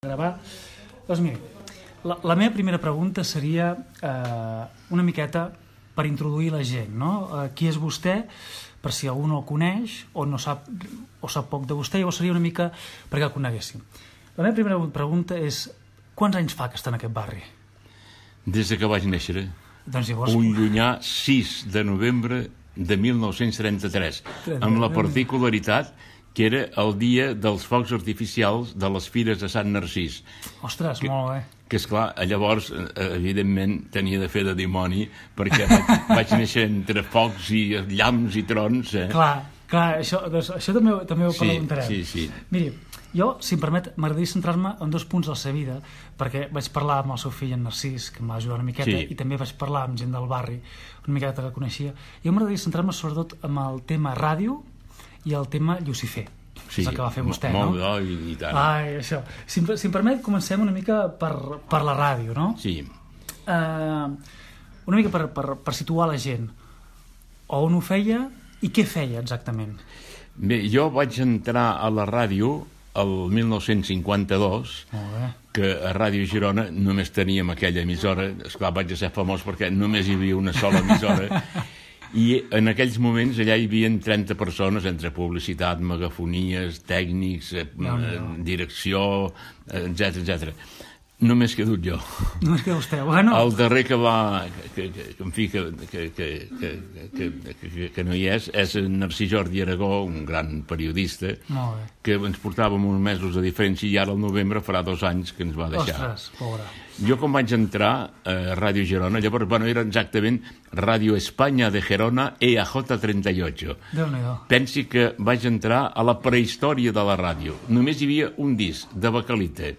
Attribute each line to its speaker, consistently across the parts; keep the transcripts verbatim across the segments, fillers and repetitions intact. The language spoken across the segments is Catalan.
Speaker 1: gravar. Doncs miri, la, la meva primera pregunta seria eh, una miqueta per introduir la gent, no? Eh, qui és vostè, per si algú no el coneix o no sap, o sap poc de vostè, llavors seria una mica perquè el coneguéssim. La meva primera pregunta és: quants anys fa que està en aquest barri?
Speaker 2: Des que vaig néixer.
Speaker 1: Doncs llavors...
Speaker 2: Un llunyà sis de novembre de mil nou-cents trenta-tres, amb la particularitat que era el dia dels focs artificials de les Fires de Sant Narcís.
Speaker 1: Ostres,
Speaker 2: que,
Speaker 1: molt bé.
Speaker 2: Que, esclar, llavors, evidentment, tenia de fer de dimoni, perquè vaig, vaig néixer entre focs i llamps i trons. Eh?
Speaker 1: Clar, clar, això, doncs, això també, també ho
Speaker 2: sí,
Speaker 1: preguntarem.
Speaker 2: Sí, sí.
Speaker 1: Miri, jo, si em permet, m'agradaria centrar-me en dos punts de la seva vida, perquè vaig parlar amb el seu fill, en Narcís, que em va ajudar una miqueta, sí. I també vaig parlar amb gent del barri, una miqueta que coneixia. Jo m'agradaria centrar-me sobretot amb el tema ràdio i el tema Llucifer.
Speaker 2: Sí,
Speaker 1: és el que va fer vostè,
Speaker 2: molt,
Speaker 1: no?
Speaker 2: Molt, i, i tant.
Speaker 1: Ai, això. Si, si em permet, comencem una mica per, per la ràdio, no?
Speaker 2: Sí.
Speaker 1: Uh, una mica per, per, per situar la gent. On ho feia i què feia exactament?
Speaker 2: Bé, jo vaig entrar a la ràdio el mil nou-cents cinquanta-dos, que a Ràdio Girona només teníem aquella emissora. Esclar, vaig ser famós perquè només hi havia una sola emissora. I en aquells moments allà hi havia trenta persones, entre publicitat, megafonies, tècnics, eh, no, no. direcció, etcètera, etcètera. Només quedo jo.
Speaker 1: Només queda vostè. Bueno.
Speaker 2: El darrer que va, que, que, que, en fi, que, que, que, que, que, que, que no hi és, és Narcís Jordi Aragó, un gran periodista, que ens portàvem uns mesos de diferència i ara al novembre farà dos anys que ens va deixar.
Speaker 1: Ostres, pobre.
Speaker 2: Jo quan vaig entrar a Ràdio Girona, llavors, bueno, era exactament Ràdio Espanya de Gerona E A J trenta-ocho.
Speaker 1: Déu-n'hi-do.
Speaker 2: Pensi que vaig entrar a la prehistòria de la ràdio. Només hi havia un disc de Bacalita,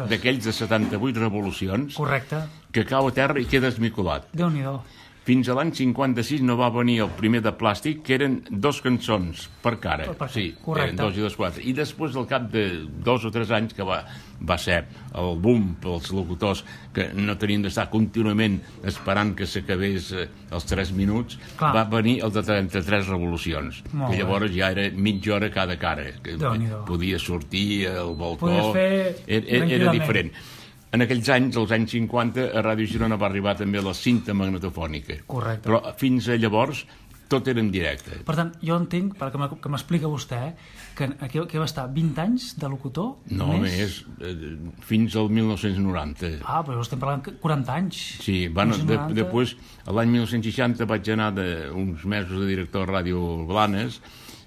Speaker 2: d'aquells de setanta-vuit revolucions.
Speaker 1: Correcte.
Speaker 2: Que cau a terra i queda esmicolat.
Speaker 1: Déu-n'hi-do.
Speaker 2: Fins a l'any cinquanta-sis no va venir el primer de Plàstic, que eren dos cançons per cara.
Speaker 1: Per
Speaker 2: sí,
Speaker 1: correcte.
Speaker 2: Eren dos i dos quatre. I després, al cap de dos o tres anys, que va, va ser el boom pels locutors, que no tenien d'estar contínuament esperant que s'acabés eh, els tres minuts, Clar. Va venir el de trenta-tres revolucions, Molt que llavors bé. Ja era mitja hora cada cara, que podia sortir al balcó,
Speaker 1: fer...
Speaker 2: era, era diferent. En aquells anys, als anys cinquanta, a Ràdio Girona va arribar també la cinta magnetofònica.
Speaker 1: Correcte.
Speaker 2: Però fins a llavors tot era en directe.
Speaker 1: Per tant, jo entenc, perquè m'explica vostè, que aquí, aquí va estar vint anys de locutor?
Speaker 2: No, més, més eh, fins al mil nou-cents noranta.
Speaker 1: Ah, però estem parlant quaranta anys.
Speaker 2: Sí, bueno, de, després, l'any mil nou-cents seixanta vaig anar de, uns mesos de director a Ràdio Blanes,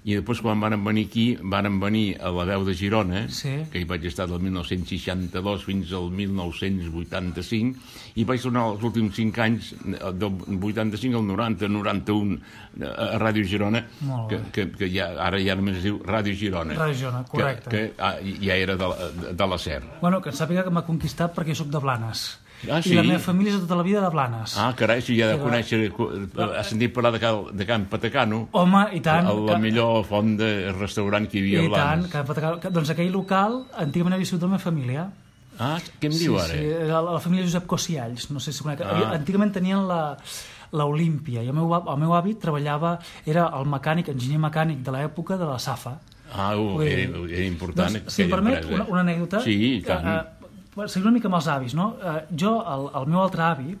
Speaker 2: i després quan vàrem venir aquí, vàrem venir a la Veu de Girona, sí. Que hi vaig estar del mil nou-cents seixanta-dos fins al mil nou-cents vuitanta-cinc, i vaig tornar els últims cinc anys, del vuitanta-cinc al noranta, noranta-un, a Ràdio Girona, que, que, que ja, ara ja només es diu Ràdio Girona.
Speaker 1: Ràdio Girona, correcte.
Speaker 2: Que, que ah, ja era de, de la SER.
Speaker 1: Bueno, que sàpiga que m'ha conquistat perquè jo soc de Blanes.
Speaker 2: Ah, sí?
Speaker 1: I la meva família és de tota la vida de Blanes.
Speaker 2: Ah, carai, si ja ha de conèixer, ha sentit parlar de, de Can Patacano.
Speaker 1: Home, i tant.
Speaker 2: La, la millor font de restaurant que hi havia a Blanes.
Speaker 1: I tant, Can Patacano. Doncs aquell local, antigament havia sigut de la meva família.
Speaker 2: Ah, què em diu
Speaker 1: sí,
Speaker 2: ara?
Speaker 1: Sí, la, la família Josep Cosialls, no sé si conec. Ah. Antigament tenien la... l'Olímpia, i el meu, el meu avi treballava, era el mecànic, enginyer mecànic de l'època de la Safa.
Speaker 2: Ah, uh, era, era important.
Speaker 1: Doncs, si em permet, una, una anècdota.
Speaker 2: Sí, tant.
Speaker 1: Uh, seguim una mica amb els avis, no? Uh, jo, el, el meu altre avi,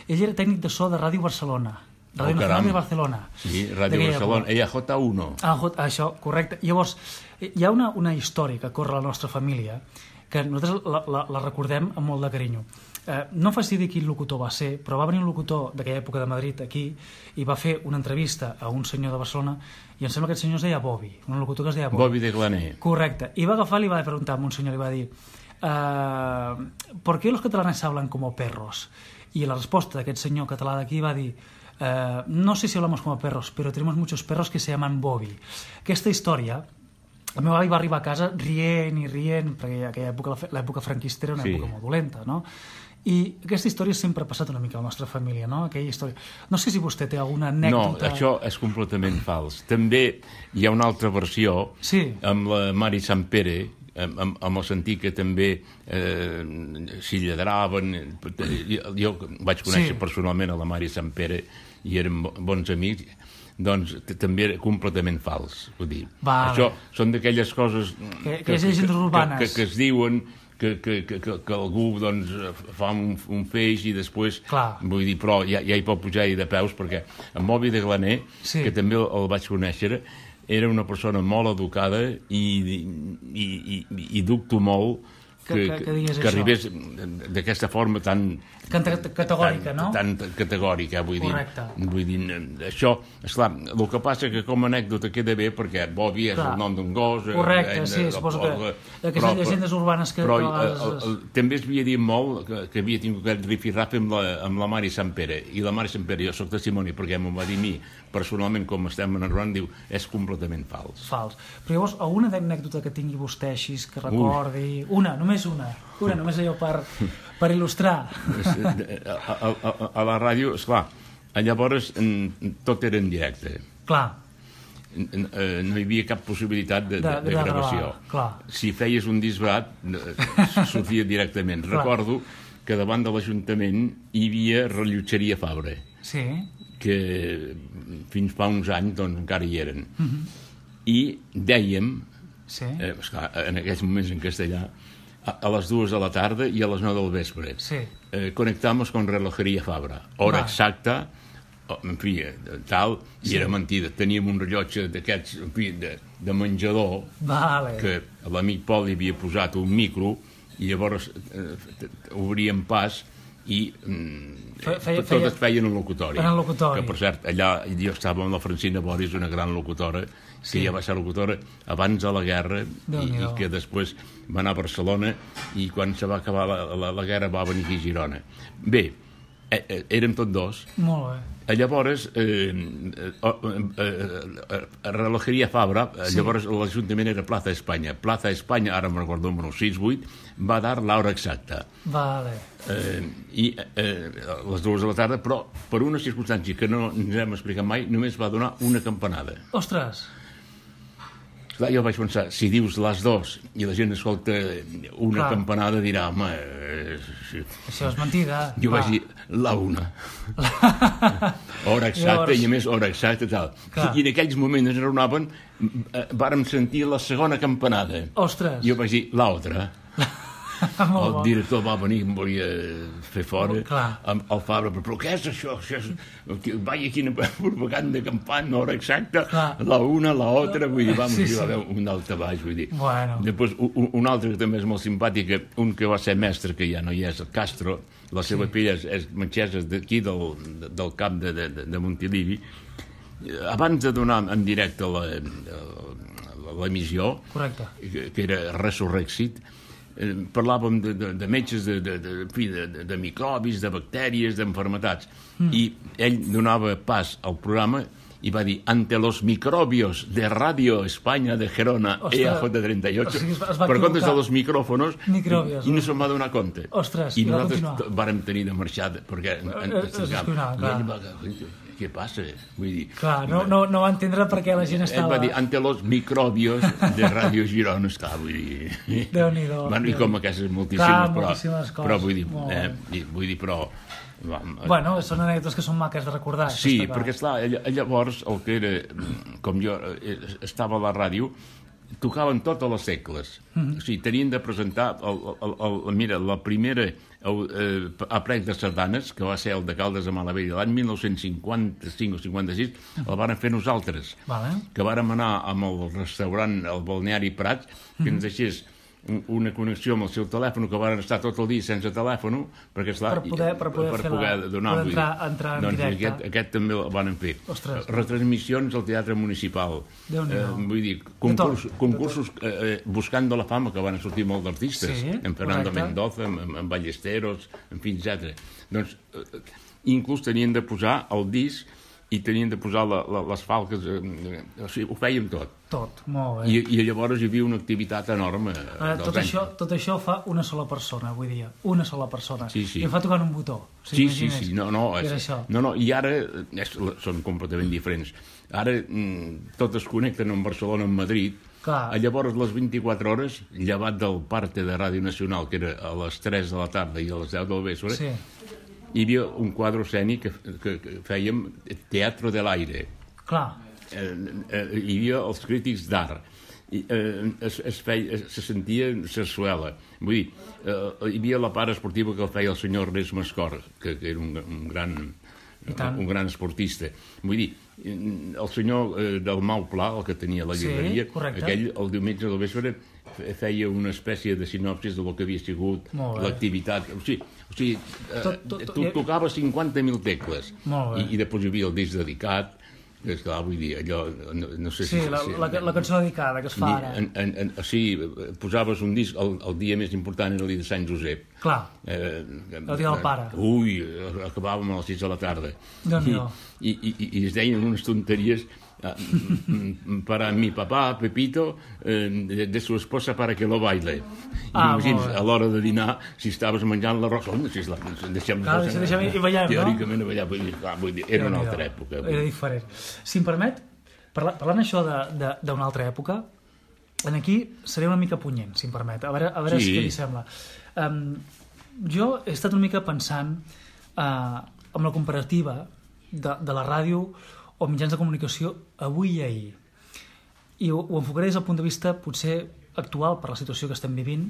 Speaker 1: ell era tècnic de so de Ràdio Barcelona. Ràdio oh, Nacional de Barcelona.
Speaker 2: Sí, Ràdio Barcelona, E A J uno.
Speaker 1: Ah, això, correcte. Llavors, hi ha una, una història que corre a la nostra família que nosaltres la, la, la recordem amb molt de carinyo. Eh, no em faci dir quin locutor va ser, però va venir un locutor d'aquella època de Madrid aquí i va fer una entrevista a un senyor de Barcelona i em sembla que aquest senyor es deia Bobby, un locutor que es deia Bobby.
Speaker 2: Bobby de Glaner.
Speaker 1: Correcte. I va agafar i li va preguntar a un senyor, li va dir uh, ¿por qué los catalanes hablan como perros? I la resposta d'aquest senyor català d'aquí va dir uh, no sé si hablamos como perros, pero tenemos muchos perros que se llaman Bobby. Aquesta història el meu avi va arribar a casa rient i rient, perquè aquella època, l'època franquista era una sí. època molt dolenta, no? I aquesta història sempre ha passat una mica a la nostra família, no? Aquella història. No sé si vostè té alguna anècdota...
Speaker 2: No, això és completament fals. També hi ha una altra versió
Speaker 1: sí.
Speaker 2: amb la Mari Sampere, amb, amb el sentit que també eh, s'hi lledraven. Jo, jo vaig conèixer sí. personalment a la Mari Sampere i érem bons amics. Doncs també era completament fals. Vull dir,
Speaker 1: vale.
Speaker 2: Això són d'aquelles coses
Speaker 1: que, que, que, que,
Speaker 2: que, que, que es diuen que, que, que, que algú doncs, fa un, un feix i després,
Speaker 1: Clar.
Speaker 2: vull dir, però ja, ja hi pot pujar-hi de peus, perquè en Moby de Glaner, sí. que també el, el vaig conèixer, era una persona molt educada i, i, i, i dubto molt que, que, que, que, que arribés d'aquesta forma tan...
Speaker 1: Categòrica,
Speaker 2: tan,
Speaker 1: no?
Speaker 2: Tan categòrica, vull
Speaker 1: Correcte.
Speaker 2: dir. Vull dir, això, esclar, el que passa que com a anècdota queda bé perquè Bobby és Clar. el nom d'un gos...
Speaker 1: Correcte, eh, sí, eh, suposo que aquestes llegendes urbanes que...
Speaker 2: Però el, el, el, també es havia dit molt que, que havia tingut aquest rifirrafe amb, la, amb la Mari Sant Pere, i la Mari Sant Pere, jo soc testimoni perquè m'ho va dir a mi, personalment, com estem narrant, diu, és completament fals.
Speaker 1: Fals. Però llavors, alguna anècdota que tingui vostè així, que recordi... Ui. Una, només una. Una, només allò per, per il·lustrar.
Speaker 2: A, a, a, a la ràdio, esclar, llavors tot era en directe.
Speaker 1: Clar.
Speaker 2: No hi havia cap possibilitat de, de, de, de gravació.
Speaker 1: Clar.
Speaker 2: Si feies un disbarat, sortia directament. Clar. Recordo que davant de l'Ajuntament hi havia rellotgeria Fabra.
Speaker 1: Sí.
Speaker 2: Que fins fa uns anys doncs, encara hi eren. Uh-huh. I dèiem,
Speaker 1: sí.
Speaker 2: eh, esclar, en aquells moments en castellà, a les dues de la tarda i a les nou del vespre.
Speaker 1: Sí.
Speaker 2: Eh, conectamos con relojería Fabra. Hora Va. exacta, en fi, tal, i sí. era mentida. Teníem un rellotge d'aquests, en fi, de, de menjador,
Speaker 1: vale.
Speaker 2: que l'amic Pol hi havia posat un micro, i llavors eh, obríem pas i mm, fe, feia, tot feia... es feia en el locutori.
Speaker 1: En el locutori.
Speaker 2: Que, per cert, allà jo estava amb la Francina Boris, una gran locutora, que sí. ja va ser locutora abans de la guerra i, i que després va anar a Barcelona i quan se va acabar la, la, la guerra va venir aquí a Girona. Bé, eh, eh, érem tots dos.
Speaker 1: Molt bé.
Speaker 2: Llavors, eh, eh, eh, eh, relojeria Fabra, sí. Llavors l'Ajuntament era Plaza Espanya. Plaza Espanya, ara me'n recordo, número sis vuit, va dar l'hora exacta.
Speaker 1: Vale.
Speaker 2: Eh, I eh, a les dues de la tarda, però per una circumstància que no ens hem explicat mai, només va donar una campanada.
Speaker 1: Ostres!
Speaker 2: Clar, jo vaig pensar, si dius les dues i la gent escolta una Clar. campanada, dirà, home... Eh, sí.
Speaker 1: Això és mentida.
Speaker 2: Jo Va. vaig dir, la una. Hora exacta, Llavors... i a més hora exacta, tal. Clar. I en aquells moments ens raonaven, eh, vàrem sentir la segona campanada.
Speaker 1: Ostres!
Speaker 2: Jo vaig dir, l'altra. El director va venir, em volia fer fora,
Speaker 1: oh,
Speaker 2: amb el Fabra, però què és això? això és... Vaja, quina propaganda campana, hora exacta, clar. la una, la altra, vull dir, vam, sí, sí. va haver un altre baix, vull dir.
Speaker 1: Bueno.
Speaker 2: Després, un, un altre que també és molt simpàtic, un que va ser mestre, que ja no hi és, el Castro, la seva sí. filla és, és metgessa d'aquí, del, del camp de, de, de Montilivi. Abans de donar en directe l'emissió, que, que era Resurrexit, Eh, parlàvem de, de, de metges, de, de, de, de, de, de microbis, de bactèries, d'enfermetats. Mm. I ell donava pas al programa i va dir, ante los microbios de Radio España de Gerona, Ostres. E A J trenta y ocho, o sigui, per comptes de los micròfonos, microbios, i no se'n va donar compte.
Speaker 1: Ostres,
Speaker 2: I nosaltres vàrem tenir de marxar, perquè en, en,
Speaker 1: es, es esconava,
Speaker 2: i ell va dir, què passa? Vull dir,
Speaker 1: clar, no, no, no va entendre per què la gent estava...
Speaker 2: Ell va dir, ante los microbios de Radio Girona, esclar, vull dir...
Speaker 1: Déu-n'hi-do.
Speaker 2: Bueno, i com aquestes moltíssimes,
Speaker 1: clar,
Speaker 2: però,
Speaker 1: moltíssimes coses.
Speaker 2: però vull dir, eh, vull dir, però...
Speaker 1: Bueno, són anècdotes que són maques de recordar.
Speaker 2: Sí, perquè, esclar, llavors, el que era, com jo estava a la ràdio, tocaven totes les tecles. Mm-hmm. O sigui, tenien de presentar, el, el, el, mira, la primera eh, aprec de sardanes, que va ser el de Caldes de Malavella l'any dinou cinquanta-cinc o cinquanta-sis, el van fer nosaltres.
Speaker 1: Vale.
Speaker 2: Que vàrem anar amb el restaurant, el balneari Prats, que mm-hmm. ens deixés una connexió amb el seu telèfon, que van estar tot el dia sense telèfon, perquè esclar,
Speaker 1: per poder, per poder, per poder la, donar, poder entrar, entrar en
Speaker 2: doncs
Speaker 1: directe.
Speaker 2: Aquest, aquest també el van fer.
Speaker 1: Ostres.
Speaker 2: Retransmissions al Teatre Municipal. Eh, vull dir, concurs, concursos eh, buscant de la fama, que van sortir molt d'artistes,
Speaker 1: sí,
Speaker 2: en Fernando
Speaker 1: correcte.
Speaker 2: Mendoza, en, en Ballesteros, en fi, etcètera. Doncs, eh, inclús tenien de posar el disc i tenien de posar la, la, les falques, eh, o sigui, ho fèiem tot.
Speaker 1: Tot, molt bé.
Speaker 2: I, i llavors hi havia una activitat enorme.
Speaker 1: Ara, tot, això, tot això fa una sola persona, vull dir, una sola persona.
Speaker 2: Sí, sí.
Speaker 1: I ho fa tocant un botó.
Speaker 2: Sí, sí, sí, no, no, és,
Speaker 1: és això.
Speaker 2: No, no, i ara és, són completament diferents. Ara mm, tot es connecten en Barcelona, en Madrid.
Speaker 1: Clar.
Speaker 2: Llavors, les vint-i-quatre hores, llevat del parte de Ràdio Nacional, que era a les tres de la tarda i a les deu del vespre, sí. Hi havia un quadre escènic que, que, que fèiem Teatro de l'Aire.
Speaker 1: Clar.
Speaker 2: Eh, eh, hi havia els crítics d'art. i, eh, es, es feia, se sentia sarsuela. Vull dir, eh, hi havia la part esportiva que el feia el senyor Ernest Mascor, que, que era un, un gran... un gran esportista. Vull dir, el senyor eh, del Mau Pla, el que tenia la llibreria, sí, aquell el diumenge del vespre feia una espècie de sinopsis del que havia sigut l'activitat. O sigui, o sigui eh, tot, tot, tu tocaves cinquanta mil tecles i, i després hi havia el disc dedicat, que és clar, vull dir, allò... No, no sé
Speaker 1: sí,
Speaker 2: si,
Speaker 1: la,
Speaker 2: si,
Speaker 1: la, la cançó dedicada que es fa ara.
Speaker 2: En, en, en, o sigui, posaves un disc, el, el dia més important era el dia de Sant Josep.
Speaker 1: Clar, eh, el dia del pare.
Speaker 2: Ui, acabàvem a les sis de la tarda.
Speaker 1: Déu-n'hi-do.
Speaker 2: I, i, i, I es deien unes tonteries para mi papá, Pepito, eh, de, de su esposa para que lo baile. I ah, imagines, a l'hora de dinar, si estaves menjant l'arròs, oh, si la, deixem
Speaker 1: clar, si deixem i ballem,
Speaker 2: teòricament,
Speaker 1: no?
Speaker 2: Ballar, vull dir, clar, vull dir, era una altra època.
Speaker 1: Era diferent. Si em permet, parla, parlant això d'una altra època, en aquí seré una mica punyent, si em permet, a veure, a veure sí. què li sembla. Um, jo he estat una mica pensant uh, amb la comparativa de, de la ràdio o mitjans de comunicació avui i ahir. I ho, ho enfocaré des del punt de vista potser actual per la situació que estem vivint.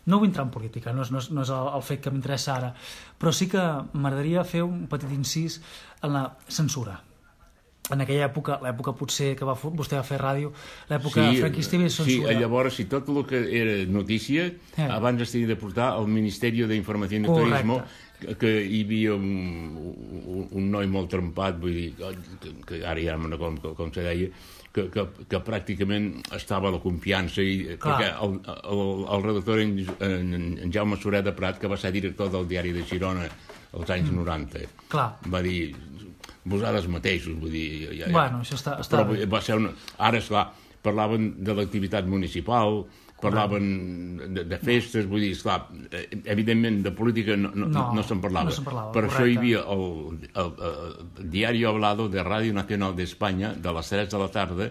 Speaker 1: No vull entrar en política, no és, no és, no és el, el fet que m'interessa ara, però sí que m'agradaria fer un petit incís en la censura. En aquella època, l'època potser que va, vostè va fer ràdio, l'època sí, franquista hi havia censura.
Speaker 2: Sí, llavors, si tot el que era notícia, eh. abans es tenia de portar al Ministeri d'Informació i Turisme, que hi havia un, un, un noi molt trempat, vull dir, que, que ara ja no com, com se deia, que, que, que pràcticament estava a la confiança, i, perquè el, el, el redactor en, en, en Jaume Soler de Prat, que va ser director del diari de Girona als anys mm. noranta, clar. Va dir, vosaltres mateixos, vull dir... Ja, ja.
Speaker 1: Bueno, això està... està
Speaker 2: però va ser una... Ara, esclar, parlaven de l'activitat municipal, parlaven de, de festes, vull dir, esclar, evidentment de política no, no, no, no se'n parlava.
Speaker 1: No se'n parlava,
Speaker 2: per
Speaker 1: correcte.
Speaker 2: Això hi havia el, el, el Diario Hablado de Radio Nacional d'Espanya de les tres de la tarda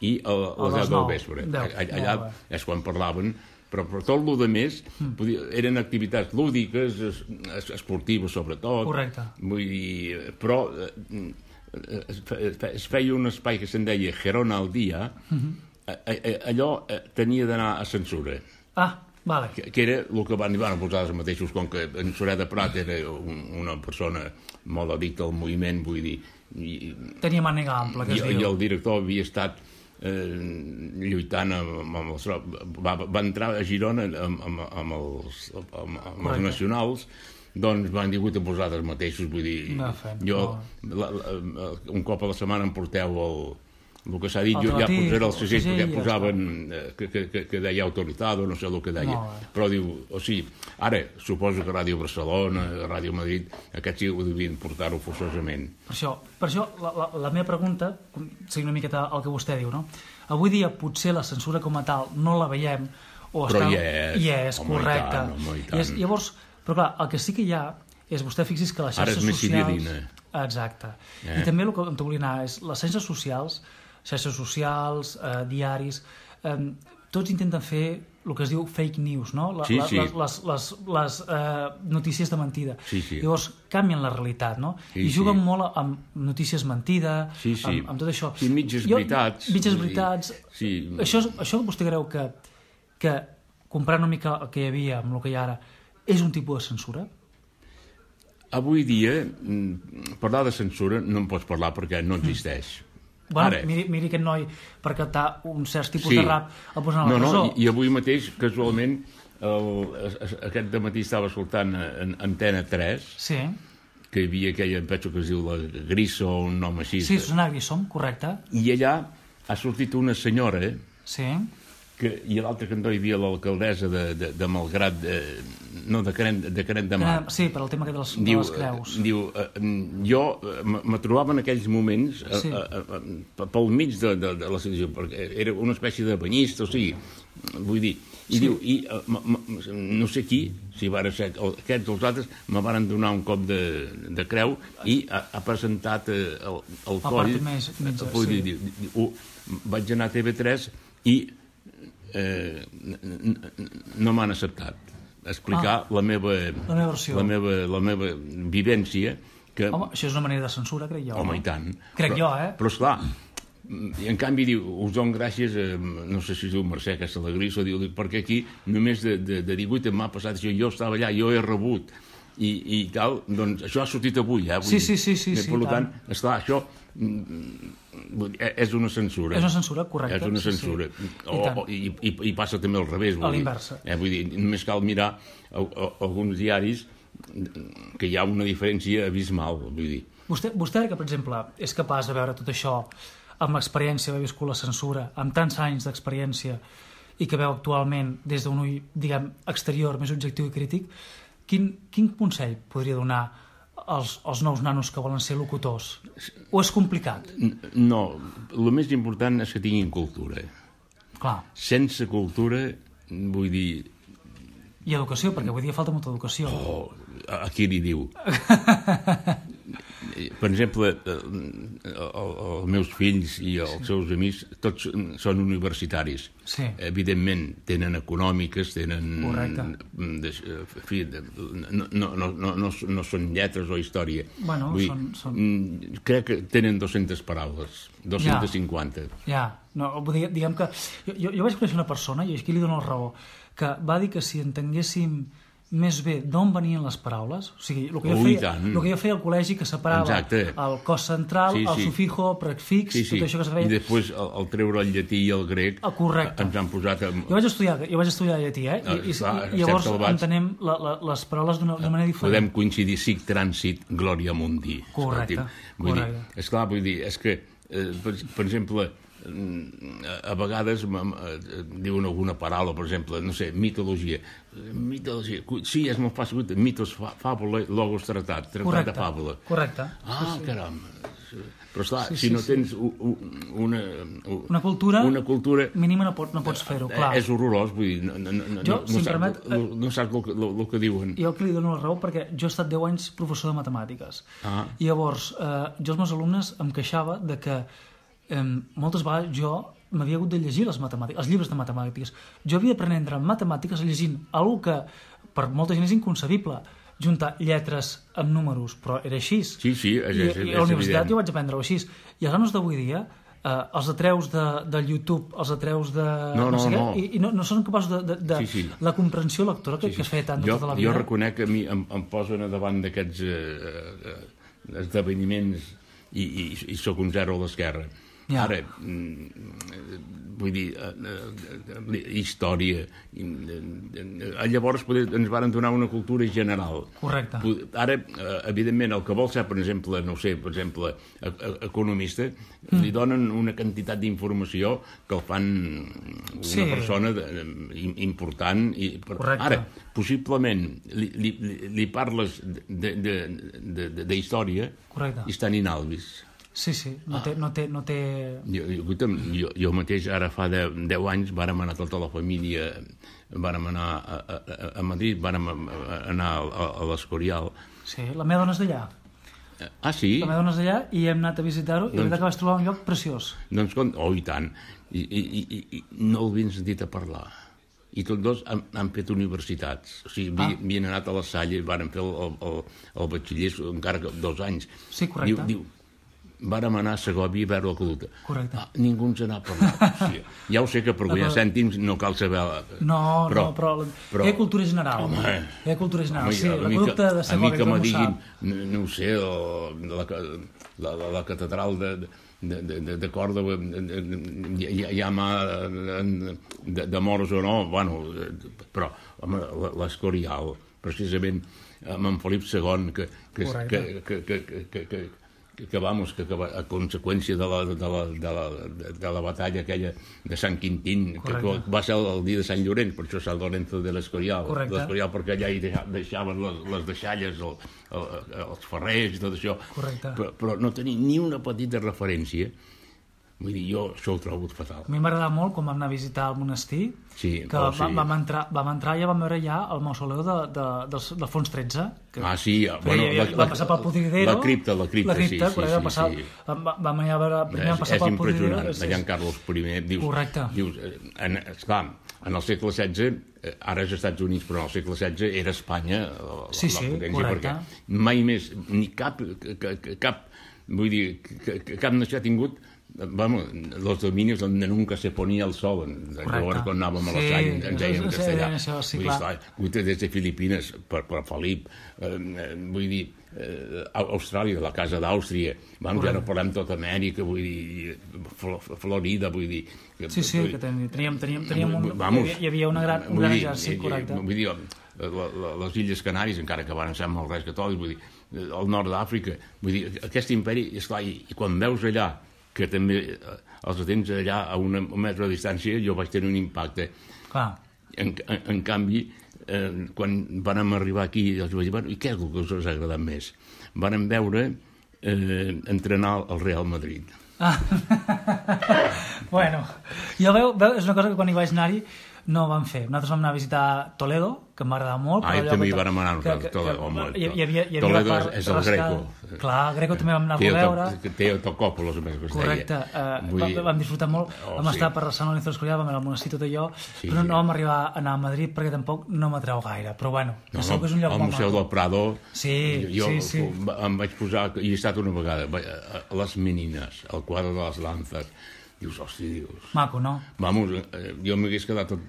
Speaker 2: i a les deu del vespre. Allà és quan parlaven, però per tot el que més mm. eren activitats lúdiques, es, es, esportives sobretot.
Speaker 1: Correcte.
Speaker 2: Vull dir, però es, es feia un espai que se'n deia Gerona al dia, mm-hmm. allò tenia d'anar a censura.
Speaker 1: Ah, vale.
Speaker 2: Que, que era el que van dir, van posar els mateixos, com que en Soler de Prat era un, una persona molt addicta al moviment, vull dir... I,
Speaker 1: tenia màniga ampla, que es
Speaker 2: i,
Speaker 1: diu.
Speaker 2: I el director havia estat eh, lluitant amb, amb els... Va, va entrar a Girona amb, amb, amb, els, amb, amb els nacionals, doncs van dir que posar els mateixos, vull dir...
Speaker 1: No, fem,
Speaker 2: jo, la, la, un cop a la setmana em porteu el... El que s'ha dit, jo ja posaré el segell, perquè posaven que, que, que deia autoritat o no sé el que deia, no, però diu, o sigui, ara suposo que Ràdio Barcelona, Ràdio Madrid, aquests sí ho devien portar-ho forçosament.
Speaker 1: Per això, per això la, la, la meva pregunta, seguint una miqueta el que vostè diu, no? Avui dia potser la censura com a tal no la veiem, o
Speaker 2: però
Speaker 1: està...
Speaker 2: hi és,
Speaker 1: hi és
Speaker 2: home,
Speaker 1: correcte.
Speaker 2: I tant, home, i tant.
Speaker 1: I és, llavors, però clar, el que sí que hi ha és, vostè fixi's que les xarxes
Speaker 2: socials... Ara és més
Speaker 1: socials...
Speaker 2: civilina.
Speaker 1: Exacte.
Speaker 2: Eh?
Speaker 1: I també el que em volia anar és, les xarxes socials, xarxes socials, eh, diaris, eh, tots intenten fer el que es diu fake news, no? La,
Speaker 2: sí, sí.
Speaker 1: Les, les, les, les eh, notícies de mentida.
Speaker 2: Sí, sí.
Speaker 1: Llavors canvien la realitat, no?
Speaker 2: Sí,
Speaker 1: I juguen
Speaker 2: sí.
Speaker 1: molt amb notícies mentida,
Speaker 2: sí, sí.
Speaker 1: Amb, amb tot això.
Speaker 2: Sí, mitges jo, veritats.
Speaker 1: Mitges veritats.
Speaker 2: Sí.
Speaker 1: Això, això vostè creu que, que comprar una mica el que hi havia amb el que hi ha ara és un tipus de censura?
Speaker 2: Avui dia, parlar de censura no en pots parlar perquè no existeix. Mm.
Speaker 1: Bueno, miri, miri aquest noi per captar un cert tipus sí. de rap el posen a la
Speaker 2: no,
Speaker 1: presó.
Speaker 2: No, i, i avui mateix, casualment, el, aquest dematí estava escoltant en Antena tres,
Speaker 1: sí.
Speaker 2: que hi havia aquella, penso que es diu la Grisso, un nom així.
Speaker 1: Sí, Susana Grissom, correcte.
Speaker 2: I allà ha sortit una senyora,
Speaker 1: sí.
Speaker 2: que, i a l'altre cantó hi havia l'alcaldessa de, de, de Malgrat, de, no, de Canet de, Canet de Mar.
Speaker 1: Sí, per al tema de les,
Speaker 2: diu,
Speaker 1: de les creus.
Speaker 2: Diu, jo me trobava en aquells moments sí. a, a, a, pel mig de, de, de la situació, perquè era una espècie de banyista, o sigui, vull dir, i sí. diu, i ma, ma, no sé qui, si van ser aquests o els altres, me van donar un cop de, de creu i ha, ha presentat el, el coll.
Speaker 1: Més, més,
Speaker 2: vull
Speaker 1: sí.
Speaker 2: dir, diu, vaig anar a T V tres i eh, no m'han acceptat explicar ah, la meva
Speaker 1: la meva,
Speaker 2: la meva la meva vivència que...
Speaker 1: Home, això és una manera de censura, crec jo.
Speaker 2: Home,
Speaker 1: no?
Speaker 2: i tant.
Speaker 1: Crec
Speaker 2: però,
Speaker 1: jo, eh?
Speaker 2: Però, esclar, I en canvi diu, us dono gràcies, a, no sé si es diu Mercè Castellagris, o diu, perquè aquí només de, de, de divuit m'ha passat això, jo estava allà, jo he rebut, i, i tal, doncs això ha sortit avui, eh?
Speaker 1: Sí, sí, sí, sí,
Speaker 2: per tant, esclar, això és una censura.
Speaker 1: És una censura, correcte.
Speaker 2: És una censura. O, i, i, I passa també al revés.
Speaker 1: A l'inversa.
Speaker 2: Eh, vull dir, només cal mirar a, a, alguns diaris que hi ha una diferència abismal, vull dir.
Speaker 1: Vostè, vostè que, per exemple, és capaç de veure tot això amb l'experiència d'haver viscut la censura, amb tants anys d'experiència i que veu actualment des d'un ull, diguem, exterior, més objectiu i crític, quin, quin consell podria donar als, als nous nanos que volen ser locutors? O és complicat?
Speaker 2: No, el més important és que tinguin cultura.
Speaker 1: Clar.
Speaker 2: Sense cultura, vull dir...
Speaker 1: I educació, perquè avui dia falta molta educació.
Speaker 2: Oh, a qui li diu? Per exemple, els meus fills i els sí. seus amics, tots són universitaris.
Speaker 1: Sí.
Speaker 2: Evidentment, tenen econòmiques, tenen...
Speaker 1: Correcte.
Speaker 2: De, fi, de, no, no, no, no, no són lletres o història.
Speaker 1: Bueno,
Speaker 2: Vull,
Speaker 1: són, són...
Speaker 2: Crec que tenen dues-centes paraules, dues-centes cinquanta.
Speaker 1: Ja, ja. No, diguem que... Jo, jo, jo vaig conèixer una persona, i aquí li dono la raó, que va dir que si entenguéssim més bé d'on venien les paraules, o sigui, el que jo,
Speaker 2: oh,
Speaker 1: feia, el que jo feia al col·legi, que separava
Speaker 2: Exacte.
Speaker 1: el cos central, sí, sí. el sufijo, prefix,
Speaker 2: sí, sí.
Speaker 1: tot això que es feia...
Speaker 2: I després el, el treure el llatí i el grec
Speaker 1: ah, correcte.
Speaker 2: Ens han posat... Amb...
Speaker 1: Jo vaig estudiar, jo vaig estudiar llatí, eh? I, i,
Speaker 2: Clar,
Speaker 1: i llavors entenem la, la, les paraules d'una manera diferent.
Speaker 2: Podem coincidir, sic transit, glòria mundi.
Speaker 1: Correcte,
Speaker 2: vull
Speaker 1: correcte.
Speaker 2: Dir, esclar, vull dir, és que, eh, per, per exemple, a vegades diuen alguna paraula, per exemple, no sé, mitologia. Mitologia, sí, és molt fàcil, mitos, fàbula, logos, tractat, tractat de fàbula.
Speaker 1: Correcte.
Speaker 2: Ah,
Speaker 1: sí, sí.
Speaker 2: caram. Però esclar,
Speaker 1: sí,
Speaker 2: si
Speaker 1: sí,
Speaker 2: no
Speaker 1: sí.
Speaker 2: tens una,
Speaker 1: una cultura,
Speaker 2: una cultura
Speaker 1: mínima no, pot, no pots fer-ho, clar.
Speaker 2: És horrorós, vull dir, no, no, no,
Speaker 1: jo,
Speaker 2: no,
Speaker 1: si
Speaker 2: no, saps,
Speaker 1: permet,
Speaker 2: no, no saps el, el, el que diuen.
Speaker 1: Jo que li dono la raó perquè jo he estat deu anys professor de matemàtiques.
Speaker 2: Ah.
Speaker 1: I llavors, eh, jo als meus alumnes em queixava de que eh, moltes vegades jo m'havia hagut de llegir les matemàtiques, els llibres de matemàtiques. Jo havia d'aprendre matemàtiques llegint alguna que per molta gent és inconcebible, juntar lletres amb números, però era així.
Speaker 2: Sí, sí, és,
Speaker 1: I,
Speaker 2: és, és
Speaker 1: i a la universitat
Speaker 2: evident.
Speaker 1: jo vaig aprendre-ho així. I els nanos d'avui dia, eh, els atreus de, del YouTube, els atreus de...
Speaker 2: No, no,
Speaker 1: no sé
Speaker 2: no.
Speaker 1: què, i, i no, no són capaços de... de, de
Speaker 2: sí, sí.
Speaker 1: La comprensió lectora que, sí, sí. que es feia tant
Speaker 2: jo,
Speaker 1: tota la vida.
Speaker 2: Jo reconec que a mi em, em posen davant d'aquests eh, esdeveniments i, i, i sóc un zero a l'esquerra. Ja. Ara, vull dir, història... Llavors ens van donar una cultura general.
Speaker 1: Correcte.
Speaker 2: Ara, evidentment, el que vol ser, per exemple, no sé, per exemple, economista, mm. li donen una quantitat d'informació que el fan una
Speaker 1: sí.
Speaker 2: persona important. I,
Speaker 1: Correcte.
Speaker 2: Ara, possiblement, li, li, li parles d'història i estan inalvis.
Speaker 1: Sí, sí, no té... No té, no té...
Speaker 2: Jo, jo, jo mateix, ara fa deu, deu anys, vàrem anar tota la família, vàrem anar a, a, a Madrid, vàrem anar a, a l'Escorial.
Speaker 1: Sí, la meva dona és d'allà.
Speaker 2: Ah, sí?
Speaker 1: La meva dona és d'allà i hem anat a visitar-ho i doncs, la veritat que vaig trobar un lloc preciós.
Speaker 2: Doncs, oh, i tant. I, i, i, i no l'havien sentit a parlar. I tots dos han, han fet universitats. O sigui, ah. havien anat a la Salle, varen fer el, el, el batxiller encara que dos anys.
Speaker 1: Sí, correcte.
Speaker 2: Diu, diu vàrem anar a Segòvia a veure la caduta.
Speaker 1: Correcte.
Speaker 2: Ah, ningú ens n'ha parlat. Sí, ja ho sé que per guanyar però... cèntims no cal saber...
Speaker 1: No, però, no, però, però... hi ha cultura general. Home, hi ha cultura general, home, sí. La caduta de Segòvia,
Speaker 2: a mi que me diguin, no, no ho sé, la, la, la, la catedral de, de, de, de Còrdova, hi, hi ha mà de, de morts o no, bueno, però home, l'Escorial, precisament amb en Felip segon, que, que, que, que, que, que, que que, vamos, que, que a conseqüència de la, de, la, de, la, de la batalla aquella de Sant Quintín, que, que va ser el, el dia de Sant Llorenç, per això Sant Lorenzo de l'Escorial, l'Escorial perquè allà hi deixaven les, les deixalles, el, el, els ferrers i tot això, però, però no tenia ni una petita referència. Vull dir, jo això ho trobo fatal.
Speaker 1: A mi m'agradava molt quan vam anar a visitar el monestir,
Speaker 2: sí,
Speaker 1: que
Speaker 2: oh,
Speaker 1: va,
Speaker 2: sí.
Speaker 1: vam, entrar, vam entrar i ja vam veure ja el mausoleu de, de, de, del fons tretze. Que
Speaker 2: ah, sí. Bueno,
Speaker 1: feia,
Speaker 2: la,
Speaker 1: va passar pel Pudridero.
Speaker 2: La cripta, la cripta,
Speaker 1: la cripta
Speaker 2: sí, sí, sí,
Speaker 1: passar,
Speaker 2: sí.
Speaker 1: Vam, vam anar a veure, primer vam passar
Speaker 2: és
Speaker 1: pel Pudridero.
Speaker 2: És impressionant, allà en Carlos primer. Dius,
Speaker 1: correcte.
Speaker 2: Dius, en, esclar, en el segle setze, ara és Estats Units, però en el segle setze era Espanya la,
Speaker 1: sí, sí,
Speaker 2: la potència,
Speaker 1: correcte.
Speaker 2: Perquè mai més, ni cap, cap, vull dir, cap nació ha tingut vamos, los dominios donde nunca se ponía el sol. Llavors, quan anàvem a l'estany, ens deien en castellà.
Speaker 1: Sí, clar.
Speaker 2: Vull dir, des de Filipines, per Felip, vull dir, Austràlia, de la casa d'Àustria, vamos, ja no parlem tot Amèrica, vull dir, Florida, vull dir...
Speaker 1: Sí, sí, que teníem un... Hi havia un gran exèrcit, correcte.
Speaker 2: Vull dir, les Illes Canàries, encara que van ser molt res catòlics, vull dir, el nord d'Àfrica, vull dir, aquest imperi, esclar, i quan veus allà, que també els tens allà a un metre de distància, jo vaig tenir un impacte.
Speaker 1: Clar.
Speaker 2: En, en, en canvi, eh, quan vam arribar aquí, els vaig dir, bueno, i què és el que us ha agradat més? Vam veure eh, entrenar el Real Madrid.
Speaker 1: Ah. Bueno, jo veu, veu, és una cosa que quan hi vaig anar-hi no vam fer. Nosaltres vam anar a visitar Toledo, que em va agradar molt.
Speaker 2: Ah, i també hi vam anar a Toledo. Toledo és el Greco.
Speaker 1: Clar, el Greco també vam anar a veure.
Speaker 2: Té Autocòpolos, a més, que es deia.
Speaker 1: Correcte. Vam disfrutar molt. Vam estar per Sant Lorenzo de Escorial, vam anar al monestir, tot allò, però no vam arribar a anar a Madrid perquè tampoc no m'atreu gaire. Però bueno, és un lloc molt maco.
Speaker 2: El Museu del Prado,
Speaker 1: jo
Speaker 2: em vaig posar, hi he estat una vegada, les menines, el quadre de les lances. Dius, hosti, dius...
Speaker 1: Maco, no?
Speaker 2: Vamos, jo m'hagués quedat tot,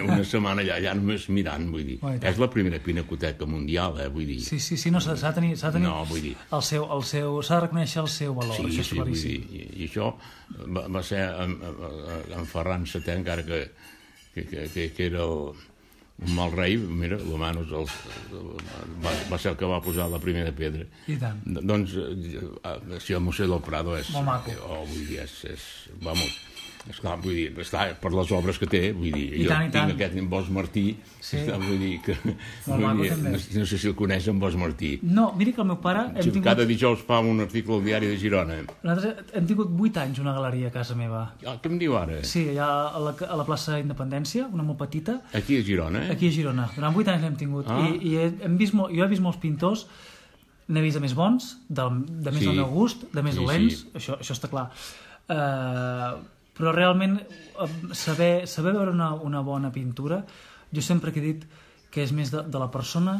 Speaker 2: una setmana allà, allà només mirant, vull dir. Oh, és la primera pinacoteca mundial, eh, vull dir.
Speaker 1: Sí, sí, sí, no, s'ha de tenir, s'ha de tenir
Speaker 2: no, vull dir.
Speaker 1: el seu, el seu, s'ha de reconèixer el seu valor,
Speaker 2: sí,
Speaker 1: això és
Speaker 2: sí,
Speaker 1: claríssim.
Speaker 2: Vull dir, i, i això va, va ser en, en Ferran setè, encara que, que, que, que era el, un mal rei, mira, l'Humanos va, va ser el que va posar la primera pedra.
Speaker 1: I tant.
Speaker 2: Doncs, si el Museu del Prado és...
Speaker 1: Molt maco.
Speaker 2: Oh, vull dir, és... és vamos... Esclar, vull dir, està per les obres que té, vull dir,
Speaker 1: I
Speaker 2: jo
Speaker 1: tant,
Speaker 2: tinc aquest en Bosch Martí,
Speaker 1: sí.
Speaker 2: Està, vull dir que...
Speaker 1: Vull dir,
Speaker 2: no, no sé si el coneix, en Bosch Martí.
Speaker 1: No, miri que el meu pare...
Speaker 2: Hem tingut... Cada dijous fa un article al diari de Girona.
Speaker 1: Nosaltres hem tingut vuit anys una galeria a casa meva.
Speaker 2: Ah, què em diu ara?
Speaker 1: Sí, allà a la, a la plaça Independència, una molt petita.
Speaker 2: Aquí a Girona, eh?
Speaker 1: Aquí a Girona. Durant vuit anys l'hem tingut.
Speaker 2: Ah.
Speaker 1: I, i hem vist molt, jo he vist molts pintors, n'he vist de més bons, de, de més
Speaker 2: sí.
Speaker 1: del meu gust, de més
Speaker 2: sí,
Speaker 1: dolents,
Speaker 2: sí.
Speaker 1: Això, això està clar. Uh, però realment saber, saber veure una, una bona pintura, jo sempre he dit que és més de, de la persona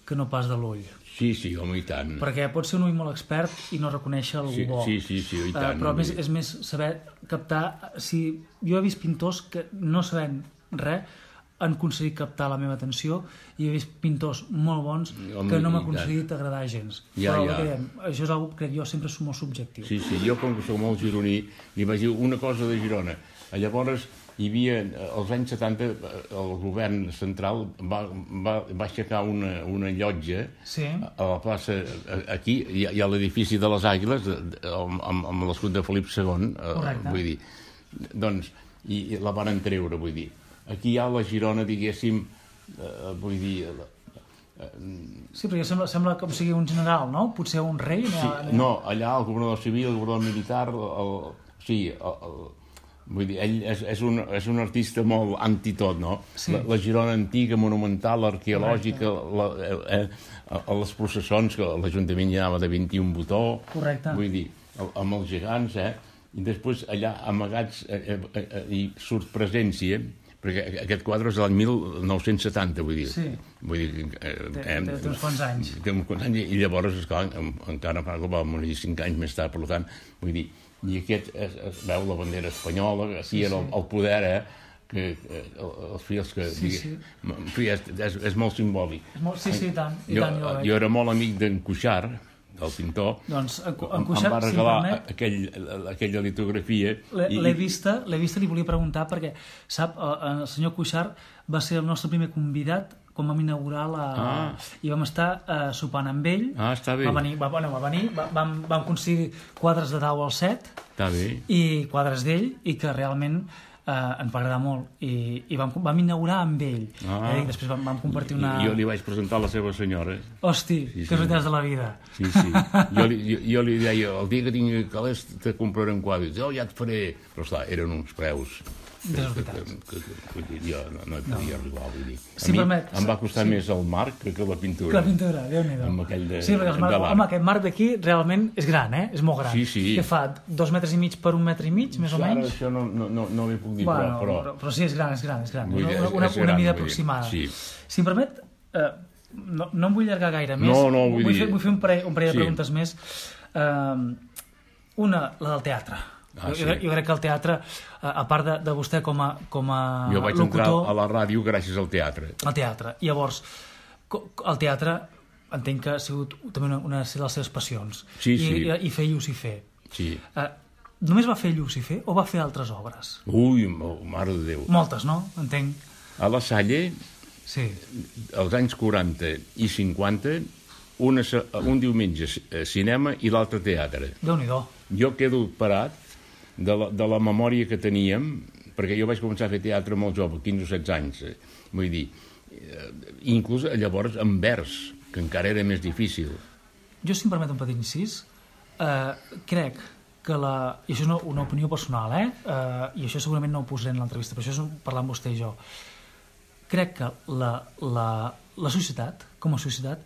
Speaker 1: que no pas de l'ull.
Speaker 2: Sí, sí, home, i tant.
Speaker 1: Perquè pot ser un ull molt expert i no reconèixer algú
Speaker 2: sí,
Speaker 1: bo.
Speaker 2: Sí, sí, sí, i tant.
Speaker 1: Uh, però més, és més saber captar... Si jo he vist pintors que no sabent res han aconseguit captar la meva atenció i he vist pintors molt bons home, que no m'ha aconseguit agradar gens.
Speaker 2: Ja,
Speaker 1: però
Speaker 2: ja.
Speaker 1: Dèiem, això és una cosa que crec jo sempre és molt subjectiu.
Speaker 2: Sí, sí, jo com que soc molt gironí li vaig dir una cosa de Girona. Llavors hi havia, als anys setanta, el govern central va, va, va aixecar una, una llotja
Speaker 1: sí.
Speaker 2: a la plaça, aquí hi ha, hi ha l'edifici de les Àguiles amb, amb l'escut de Felip segon.
Speaker 1: Correcte.
Speaker 2: Vull dir, doncs, i, i la van treure, vull dir. Aquí hi ha la Girona, diguéssim, eh, vull dir... Eh,
Speaker 1: sí, perquè sembla, sembla com sigui un general, no? Potser un rei?
Speaker 2: Sí, no, allà el governador civil, el governador militar, el, sí, el, el, vull dir, ell és, és, un, és un artista molt antitot, no?
Speaker 1: Sí.
Speaker 2: La, la Girona antiga, monumental, arqueològica, la, eh, eh, les processons, que l'Ajuntament hi anava de vint-i-un botó.
Speaker 1: Correcte.
Speaker 2: Vull dir, amb els gegants, eh? I després allà amagats, eh, eh, eh, i surt presència, perquè aquest quadre és de l'any mil nou-cents setanta, vull dir.
Speaker 1: Sí.
Speaker 2: Vull dir... Eh,
Speaker 1: té, té uns quants anys.
Speaker 2: Té uns quants anys, i llavors, esclar, encara va morir cinc anys més tard, per tant, vull dir, i aquest es, es veu la bandera espanyola, aquí sí, era el, el poder, eh, que eh, els fills que...
Speaker 1: Sí, sí.
Speaker 2: En fi, és, és, és molt simbòlic.
Speaker 1: És molt, sí, sí, i tant. I
Speaker 2: jo,
Speaker 1: tant jo,
Speaker 2: jo era molt amic d'en Cuixart, del pintor,
Speaker 1: doncs, en, en
Speaker 2: Cuixart, em va regalar
Speaker 1: si permet,
Speaker 2: aquell, aquella litografia.
Speaker 1: L'he vista, l'he vista, li volia preguntar, perquè, sap, el senyor Cuixart va ser el nostre primer convidat quan vam inaugurar la...
Speaker 2: Ah.
Speaker 1: I vam estar uh, sopant amb ell.
Speaker 2: Ah, està bé.
Speaker 1: Va venir, va, bueno, va venir va, vam, vam aconseguir quadres de Dau al set.
Speaker 2: Està bé.
Speaker 1: I quadres d'ell, i que realment uh, ens va agradar molt. I, i vam, vam inaugurar amb ell.
Speaker 2: Ah.
Speaker 1: I després vam, vam compartir una...
Speaker 2: I jo li vaig presentar a la seva senyora.
Speaker 1: Hosti, sí, que veritats de la vida.
Speaker 2: Sí, sí. Jo li, jo, jo li deia, el dia que tingui calés te compraré un quadre. Oh, ja et faré. Però esclar, eren uns preus...
Speaker 1: Desoritats.
Speaker 2: Que, que, que, que jo no, no hi podia no. arribar, vull dir. A
Speaker 1: si
Speaker 2: mi
Speaker 1: permet,
Speaker 2: em va costar sí. més el marc que, que la pintura.
Speaker 1: Que la pintura, Déu-n'hi-do.
Speaker 2: Amb aquell de,
Speaker 1: sí, perquè el marc, home, aquest marc d'aquí realment és gran, eh? És molt gran.
Speaker 2: Sí, sí.
Speaker 1: Que fa dos metres i mig per un metre i mig, més o
Speaker 2: Ara,
Speaker 1: menys?
Speaker 2: això no, no, no, no li puc dir,
Speaker 1: bueno,
Speaker 2: però,
Speaker 1: però... Però sí, és gran, és gran, és gran.
Speaker 2: Vull dir,
Speaker 1: una, una,
Speaker 2: és
Speaker 1: una
Speaker 2: gran,
Speaker 1: mida
Speaker 2: vull
Speaker 1: aproximada.
Speaker 2: Sí.
Speaker 1: Si em permet, eh, no, no em vull allargar gaire més.
Speaker 2: No, no, vull,
Speaker 1: vull
Speaker 2: dir...
Speaker 1: Fer, vull fer un parell, un parell de
Speaker 2: sí.
Speaker 1: preguntes més. Eh, una, la del teatre. Ah, jo, sí. jo crec que el teatre, a part de, de vostè com a, com a
Speaker 2: jo vaig
Speaker 1: locutor,
Speaker 2: entrar a la ràdio gràcies al teatre.
Speaker 1: Al teatre. Llavors, el teatre entenc que ha sigut també una, una de les seves passions.
Speaker 2: Sí, sí.
Speaker 1: I, i fer Llucifer.
Speaker 2: Sí.
Speaker 1: Uh, només va fer Llucifer o va fer altres obres?
Speaker 2: Ui, mare de Déu.
Speaker 1: Moltes, no? Entenc.
Speaker 2: A la Salle,
Speaker 1: sí.
Speaker 2: als anys quaranta i cinquanta, una, un diumenge cinema i l'altre teatre.
Speaker 1: Déu-n'hi-do.
Speaker 2: Jo quedo parat de la, de la memòria que teníem, perquè jo vaig començar a fer teatre molt jove, quinze o setze anys, vull dir, inclús llavors en vers, que encara era més difícil.
Speaker 1: Jo, si em permet un petit incís, eh, crec que la... i això és una, una opinió personal, eh? eh? I això segurament no ho posaré en l'entrevista, però això és parlant vostè i jo. Crec que la, la, la societat, com a societat,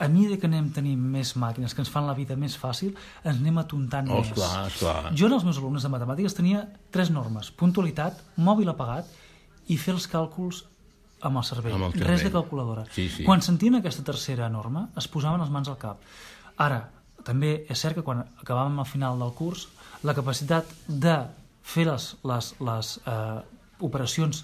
Speaker 1: a mesura que anem tenint més màquines que ens fan la vida més fàcil, ens anem atontant
Speaker 2: oh,
Speaker 1: més.
Speaker 2: Esclar, esclar.
Speaker 1: Jo en els meus alumnes de matemàtiques tenia tres normes: puntualitat, mòbil apagat i fer els càlculs amb el cervell.
Speaker 2: Amb el cervell.
Speaker 1: Res de calculadora.
Speaker 2: Sí, sí.
Speaker 1: Quan sentien aquesta tercera norma, es posaven les mans al cap. Ara, també és cert que quan acabàvem al final del curs, la capacitat de fer les, les, les eh, operacions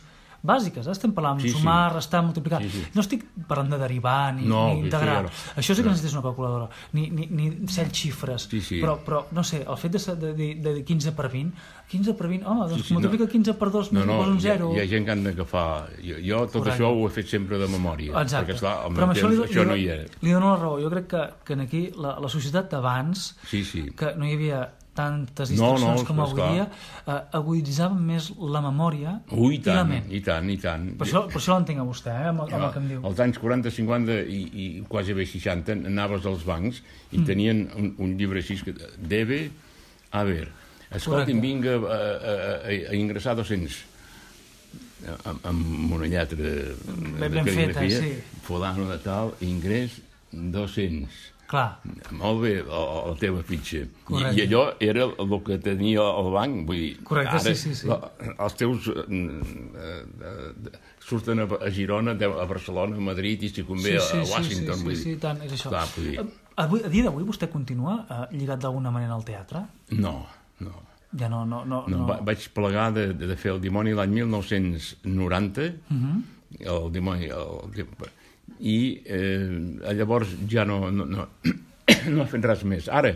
Speaker 1: bàsiques, eh? Estem parlant de sí, sumar, sí. restar, multiplicar. Sí, sí. No estic parlant de derivar ni,
Speaker 2: no,
Speaker 1: ni integrar.
Speaker 2: Sí, no.
Speaker 1: Això sí que necessites una calculadora. Ni, ni, ni set xifres.
Speaker 2: Sí, sí.
Speaker 1: Però, però, no sé, el fet de, de, de, de quinze per vint, quinze per vint, home, doncs
Speaker 2: sí, sí,
Speaker 1: multiplica
Speaker 2: no.
Speaker 1: quinze per dos,
Speaker 2: no, no,
Speaker 1: un zero.
Speaker 2: Hi ha, hi ha gent que han d'agafar... Jo, jo tot Correcte. Això ho he fet sempre de memòria.
Speaker 1: Exacte.
Speaker 2: Perquè, esclar, al
Speaker 1: però
Speaker 2: meu
Speaker 1: això,
Speaker 2: temps,
Speaker 1: li,
Speaker 2: això
Speaker 1: li,
Speaker 2: no hi era.
Speaker 1: Li dono la raó. Jo crec que, que aquí la, la societat d'abans,
Speaker 2: sí, sí.
Speaker 1: que no hi havia tantes distraccions no, no, com avui dia, eh, aguditzaven més la memòria
Speaker 2: Ui, i, tant,
Speaker 1: i la ment.
Speaker 2: I tant, i tant.
Speaker 1: Per això, per això l'entenc a vostè, eh, amb, amb el que em diu.
Speaker 2: Als anys quaranta, cinquanta i, i quasi bé seixanta anaves als bancs i mm. tenien un, un llibre així que debe haver. Escolti'm, vinga a, a, a, a ingressar dos-cents amb, amb una lletra
Speaker 1: ben, ben feta, sí.
Speaker 2: Fulano de tal, ingrés dos-cents.
Speaker 1: Clar.
Speaker 2: Molt bé, la, la teva fitxa. I, I allò era el que tenia el banc. Vull dir,
Speaker 1: correcte,
Speaker 2: ara,
Speaker 1: sí, sí, sí.
Speaker 2: La, els teus eh, eh, surten a, a Girona, a Barcelona, a Madrid i si convé sí, sí, a Washington.
Speaker 1: Sí, sí,
Speaker 2: vull
Speaker 1: sí,
Speaker 2: dir.
Speaker 1: sí, tant, és això.
Speaker 2: Clar, vull dir.
Speaker 1: Avui, a dia d'avui vostè continua eh, lligat d'alguna manera al teatre?
Speaker 2: No, no.
Speaker 1: Ja no, no, no,
Speaker 2: no, no. Vaig plegar de, de fer el dimoni l'any mil nou-cents noranta, uh-huh. el dimoni... El, i eh, llavors ja no, no, no, no he fet res més. Ara,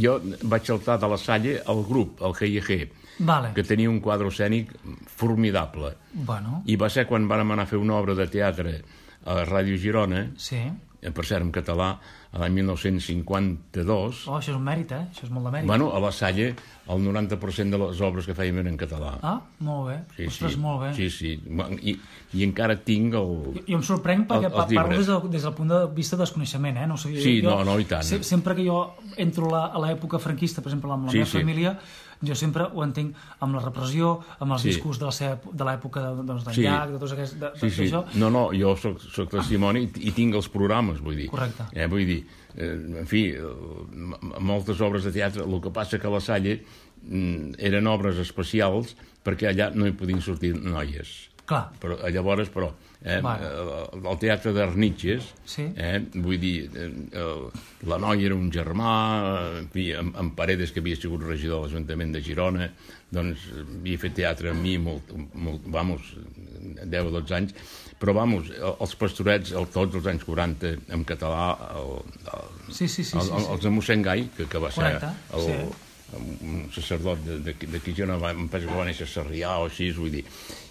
Speaker 2: jo vaig saltar de la Salle al grup, al G I G,
Speaker 1: vale.
Speaker 2: Que tenia un quadre escènic formidable.
Speaker 1: Bueno.
Speaker 2: I va ser quan vàrem anar a fer una obra de teatre a la Ràdio Girona,
Speaker 1: sí.
Speaker 2: per cert en català, a l'any mil nou-cents cinquanta-dos.
Speaker 1: Oh, això és un mèrit, eh? Això és molt de mèrit.
Speaker 2: Bueno, a la Salle el noranta per cent de les obres que fèiem eren en català.
Speaker 1: Ah, molt bé.
Speaker 2: Sí,
Speaker 1: Ostres,
Speaker 2: sí.
Speaker 1: molt bé.
Speaker 2: Sí, sí. I, i encara tinc el...
Speaker 1: Jo, jo em sorprenc perquè el, parlo des, del, des del punt de vista de desconeixement, eh? No sé,
Speaker 2: sí,
Speaker 1: jo,
Speaker 2: no, no, i tant.
Speaker 1: Se, sempre que jo entro la, a l'època franquista, per exemple, amb la
Speaker 2: sí,
Speaker 1: meva
Speaker 2: sí.
Speaker 1: família, jo sempre ho entenc amb la repressió, amb els
Speaker 2: sí.
Speaker 1: discurs de, la seva, de l'època de, doncs, d'en
Speaker 2: sí.
Speaker 1: Llach, de tots aquests... De,
Speaker 2: sí, sí.
Speaker 1: Això.
Speaker 2: No, no, jo soc, soc testimoni i, i tinc els programes, vull dir.
Speaker 1: Correcte.
Speaker 2: Eh, vull dir, eh, en fi, moltes obres de teatre, el que passa que a la Salle mm, eren obres especials perquè allà no hi podien sortir noies.
Speaker 1: Clar.
Speaker 2: Però, llavors, però, eh, vale. el teatre d'Arnitges,
Speaker 1: sí.
Speaker 2: eh, vull dir, eh, la noia era un germà, en fi, en, en Paredes, que havia sigut regidor de l'Ajuntament de Girona, doncs havia fet teatre amb mi, molt, molt, vamos, deu o dotze anys, però, vamos, els pastorets, el, tots els anys quaranta, en català, el, el,
Speaker 1: sí, sí, sí,
Speaker 2: el, el,
Speaker 1: sí,
Speaker 2: els de mossèn Gai, que, que va
Speaker 1: Correcte,
Speaker 2: ser el...
Speaker 1: sí.
Speaker 2: un sacerdot d'aquí jo no em penso que va néixer a Sarrià o així, vull dir.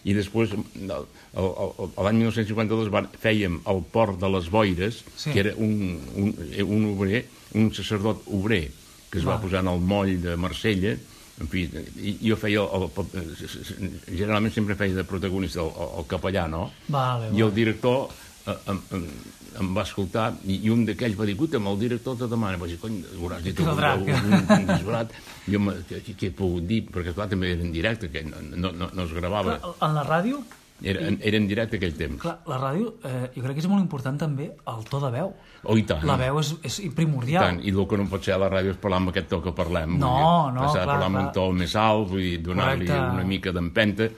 Speaker 2: I després, l'any mil nou-cents cinquanta-dos fèiem el port de les Boires, sí. Que era un, un, un obrer, un sacerdot obrer, que es va, va posar en el moll de Marsella, en fi, i jo feia, el, el, generalment sempre feia de protagonista el, el capellà, no?
Speaker 1: Vale,
Speaker 2: I el director em, em, em va escoltar i, i un d'aquells va dir, escolta, el director te demana, va dir, cony, hauràs dit un, un, un, un disbarat. Jo què he pogut dir? Perquè clar, també era en directe, que no, no, no es gravava.
Speaker 1: Clar, en la ràdio?
Speaker 2: Era, era en directe aquell temps.
Speaker 1: Clar, la ràdio, eh, jo crec que és molt important també el to de veu.
Speaker 2: Oh, i tant.
Speaker 1: La veu és, és primordial.
Speaker 2: I tant, i el que no pot ser a la ràdio és parlar amb aquest to que parlem.
Speaker 1: No,
Speaker 2: dir,
Speaker 1: no,
Speaker 2: passar
Speaker 1: clar,
Speaker 2: a parlar amb
Speaker 1: clar.
Speaker 2: un to més alt, vull dir, donar-li una mica d'empenta.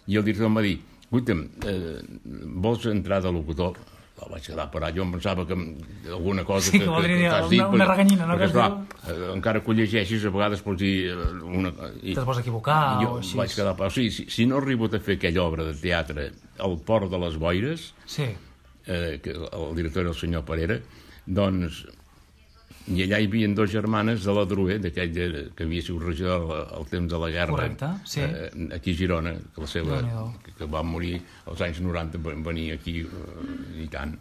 Speaker 2: I el director em va dir, escolta'm, eh, vols entrar de locutor? La vaig quedar parat. Jo em pensava que alguna cosa...
Speaker 1: Sí, que, que voldria dir una, dit, una reganyina, no?
Speaker 2: Perquè, esclar, eh, encara que ho llegeixis, a vegades pots dir... Una,
Speaker 1: i, Te'ls pots equivocar
Speaker 2: jo
Speaker 1: o així.
Speaker 2: Vaig quedar parat. O sigui, si, si no he arribat a fer aquella obra de teatre al Port de les Boires,
Speaker 1: sí.
Speaker 2: eh, que el director era el senyor Parera, doncs... I allà hi havia dues germanes de la Drué, d'aquell que havia sigut regidor al temps de la guerra.
Speaker 1: Correcte, sí.
Speaker 2: Eh, aquí a Girona, que, la seva, que, que va morir als anys noranta, venir aquí eh, i tant.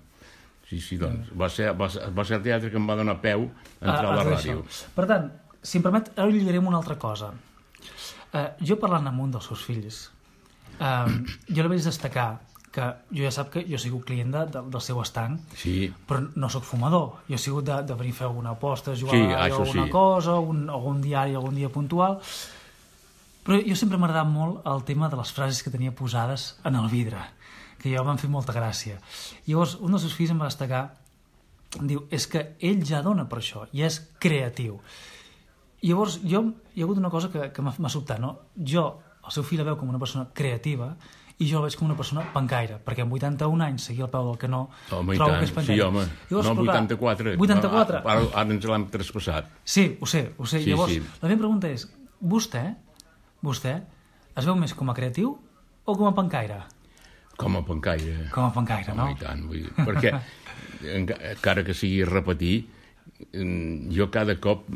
Speaker 2: Sí, sí, doncs, va ser, va, ser, va ser el teatre que em va donar peu a entrar ah, a la ràdio.
Speaker 1: Això. Per tant, si em permet, ara lligarem una altra cosa. Eh, jo parlant amb un dels seus fills, eh, jo li vaig destacar que jo ja sap que jo he sigut client de, de, del seu estanc,
Speaker 2: sí.
Speaker 1: Però no sóc fumador. Jo he sigut de, de venir a fer alguna aposta, jugar
Speaker 2: sí,
Speaker 1: a alguna
Speaker 2: sí.
Speaker 1: cosa, algun, algun diari, algun dia puntual. Però jo sempre m'ha agradat molt el tema de les frases que tenia posades en el vidre, que jo m'han fet molta gràcia. Llavors, un dels seus fills em va destacar, em diu, és que ell ja dona per això, i és creatiu. I llavors, jo, hi ha hagut una cosa que, que m'ha sobtat, no? Jo, el seu fill la veu com una persona creativa, i jo el veig com una persona pancaire, perquè amb vuitanta-un anys seguir al peu del canó,
Speaker 2: home, trobo que és pancaire. Sí, home, llavors, no vuitanta-quatre.
Speaker 1: vuitanta-quatre.
Speaker 2: Ara, ara ens l'hem traspassat.
Speaker 1: Sí, ho sé, ho sé.
Speaker 2: Sí,
Speaker 1: llavors,
Speaker 2: sí.
Speaker 1: La meva pregunta és, vostè, vostè, es veu més com a creatiu o com a pancaire?
Speaker 2: Com a pancaire.
Speaker 1: Com a pancaire, no?
Speaker 2: Home, i tant, vull dir, perquè, encara que sigui repetir, jo cada cop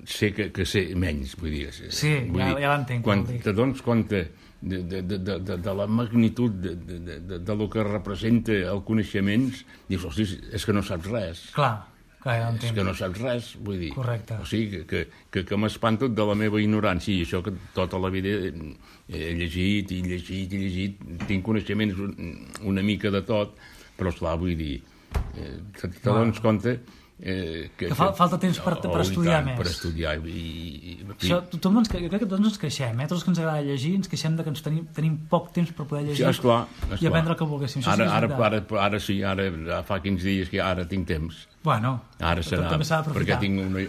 Speaker 2: sé que, que sé menys, vull dir.
Speaker 1: Sí,
Speaker 2: vull
Speaker 1: ja,
Speaker 2: dir,
Speaker 1: ja l'entenc.
Speaker 2: Quan te dones compte de, de, de, de, de la magnitud de, de, de, de lo que representa el coneixement, dius, hosti, és que no saps res.
Speaker 1: Clar, clar, ja l'entenc.
Speaker 2: És que no saps res, vull dir.
Speaker 1: Correcte.
Speaker 2: O sigui, que, que, que m'espanto de la meva ignorància, i això que tota la vida he llegit i llegit i llegit, tinc coneixements una mica de tot, però esclar, vull dir, eh, te, te dones compte Eh,
Speaker 1: que, que fa, falta temps per,
Speaker 2: oh,
Speaker 1: per estudiar
Speaker 2: tant,
Speaker 1: més.
Speaker 2: Per estudiar. I, i,
Speaker 1: Això, tothom ens, jo crec que tots ens queixem, eh? Tots que ens agrada llegir, ens queixem de que ens tenim, tenim poc temps per poder llegir, sí,
Speaker 2: esclar, esclar.
Speaker 1: I aprendre el que volguéssim.
Speaker 2: Ara, sí ara, ara, ara sí, ara fa quinze dies que ara tinc temps.
Speaker 1: Bueno,
Speaker 2: ara serà, perquè tinc una,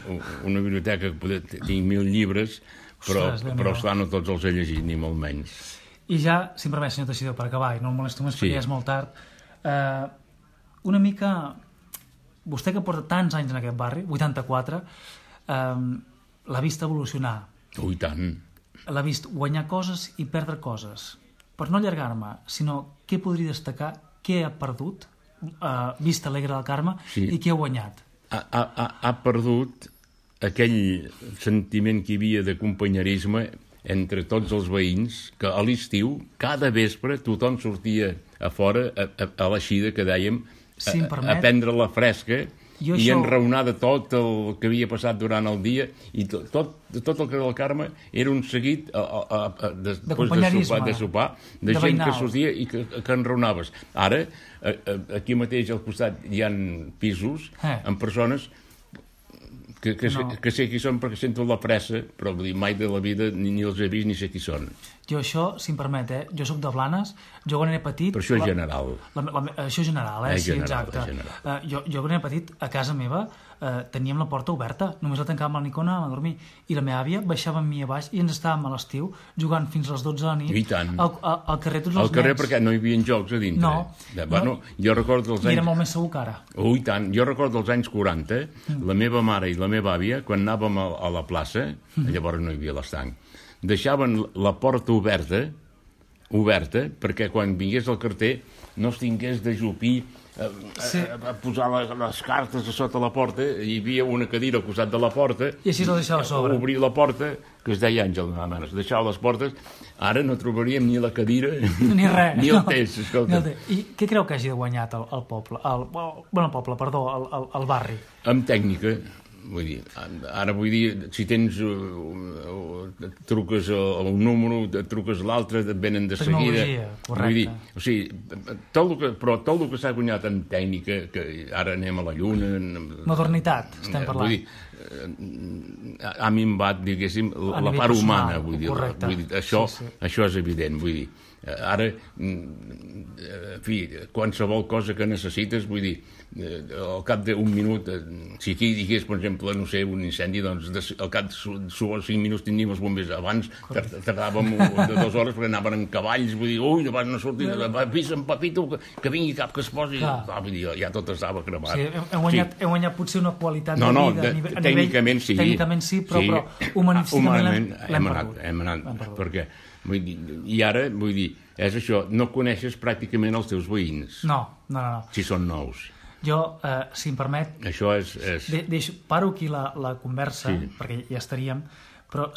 Speaker 2: una biblioteca que tinc mil llibres, però, Ostres, però esclar, no tots els he llegit, ni molt menys.
Speaker 1: I ja, si em permet, senyor Teixidor, per acabar, i no el molesto més, sí. Perquè ja és molt tard, eh, una mica... Vostè que porta tants anys en aquest barri, vuitanta-quatre, eh, l'ha vist evolucionar.
Speaker 2: Ui, tant.
Speaker 1: L'ha vist guanyar coses i perdre coses. Per no allargar-me, sinó què podria destacar, què ha perdut, eh, vista alegre del Carme, sí. I què ha guanyat?
Speaker 2: Ha, ha, ha perdut aquell sentiment que hi havia de companyerisme entre tots els veïns, que a l'estiu, cada vespre, tothom sortia a fora, a, a, a l'eixida que dèiem,
Speaker 1: Si em permet,
Speaker 2: a prendre la fresca
Speaker 1: i
Speaker 2: això... enraonar de tot el que havia passat durant el dia, i tot, tot, tot el que del Carme era un seguit a, a, a, a, de,
Speaker 1: de companyerisme,
Speaker 2: de sopar, de, sopar, de, de gent veïnal. Que sortia i que, que enraonaves. Ara, a, a, aquí mateix al costat hi ha pisos eh. amb persones que, que, no. sé, que sé qui són perquè sento la pressa, però vull dir, mai de la vida ni, ni els he vist ni sé qui són.
Speaker 1: Jo això, si em permet, eh? Jo soc de Blanes, jo quan era petit...
Speaker 2: Però això és
Speaker 1: la,
Speaker 2: general.
Speaker 1: La, la, això és general, eh?
Speaker 2: eh
Speaker 1: Sí,
Speaker 2: general,
Speaker 1: exacte.
Speaker 2: General.
Speaker 1: Uh, jo, jo quan era petit, a casa meva, uh, teníem la porta oberta, només la tancàvem a la Nicona a dormir, i la meva àvia baixava amb mi a baix i ens estàvem a l'estiu jugant fins a les dotze de la nit
Speaker 2: I tant.
Speaker 1: Al, al, al carrer tots els
Speaker 2: al carrer
Speaker 1: nens.
Speaker 2: Perquè no hi havia jocs a dintre.
Speaker 1: No.
Speaker 2: De, bueno,
Speaker 1: no.
Speaker 2: Jo recordo els anys...
Speaker 1: I era molt més segur que ara.
Speaker 2: Oh, i tant. Jo recordo els anys quaranta, mm. la meva mare i la meva àvia, quan anàvem a, a la plaça, mm. llavors no hi havia l'estanc, deixaven la porta oberta, oberta, perquè quan vingués el carter no es tingués de jupir a, sí. a, a posar les, les cartes a sota la porta, hi havia una cadira al costat de la porta,
Speaker 1: i així la deixava a sobre.
Speaker 2: Obrir la porta, que es deia Àngel, es deixava les portes, ara no trobaríem ni la cadira
Speaker 1: ni res,
Speaker 2: ni el
Speaker 1: no.
Speaker 2: test, escolta.
Speaker 1: No, I què creu que hagi guanyat el, el poble, el, bueno, el poble, perdó, el, el, el barri?
Speaker 2: Amb tècnica. Vull dir, ara vull dir, si tens uh, uh, truques un número, truques l'altre, et venen de seguida.
Speaker 1: Tecnologia, correcte.
Speaker 2: Vull dir, o sigui, tot el que, però tot el que s'ha guanyat en tècnica, que ara anem a la lluna... En,
Speaker 1: modernitat, estem parlant.
Speaker 2: Vull dir, ha minvat, diguéssim, la part humana, vull dir, vull dir això, sí, sí. això és evident, vull dir, ara, en fi, qualsevol cosa que necessites, vull dir, al cap d'un minut, si aquí digués, per exemple, no sé, un incendi, doncs al cap de cinc minuts tindríem els bombers. Abans tardàvem de dues hores perquè anaven en cavalls, vull dir, ui, no van sortir, avisa en Papito que vingui cap que es posi, vull dir, ja tot estava cremat.
Speaker 1: Sí, hem guanyat, sí. hem guanyat potser una qualitat
Speaker 2: no, no,
Speaker 1: de vida
Speaker 2: de,
Speaker 1: a nivell...
Speaker 2: Tècnicament sí.
Speaker 1: Tècnicament sí, però, sí. però humanísticament l'hem perdut.
Speaker 2: Hem anat, hem anat perquè, vull dir, i ara, vull dir, és això, no coneixes pràcticament els teus veïns.
Speaker 1: No, no, no. no.
Speaker 2: Si són nous.
Speaker 1: Jo, eh, si em permet...
Speaker 2: Això és... és...
Speaker 1: De, deixo, paro aquí la, la conversa, sí. perquè ja estaríem, però